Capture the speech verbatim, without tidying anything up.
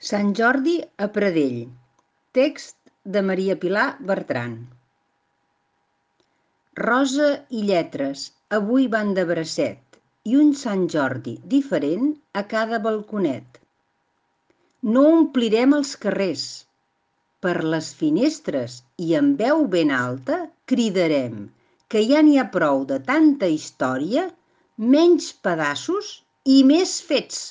Sant Jordi a Pradell. Text de Maria Pilar Bertran. Rosa i lletres avui van de bracet i un Sant Jordi diferent a cada balconet. No omplirem els carrers. Per les finestres i amb veu ben alta cridarem que ja n'hi ha prou de tanta història, menys pedaços i més fets.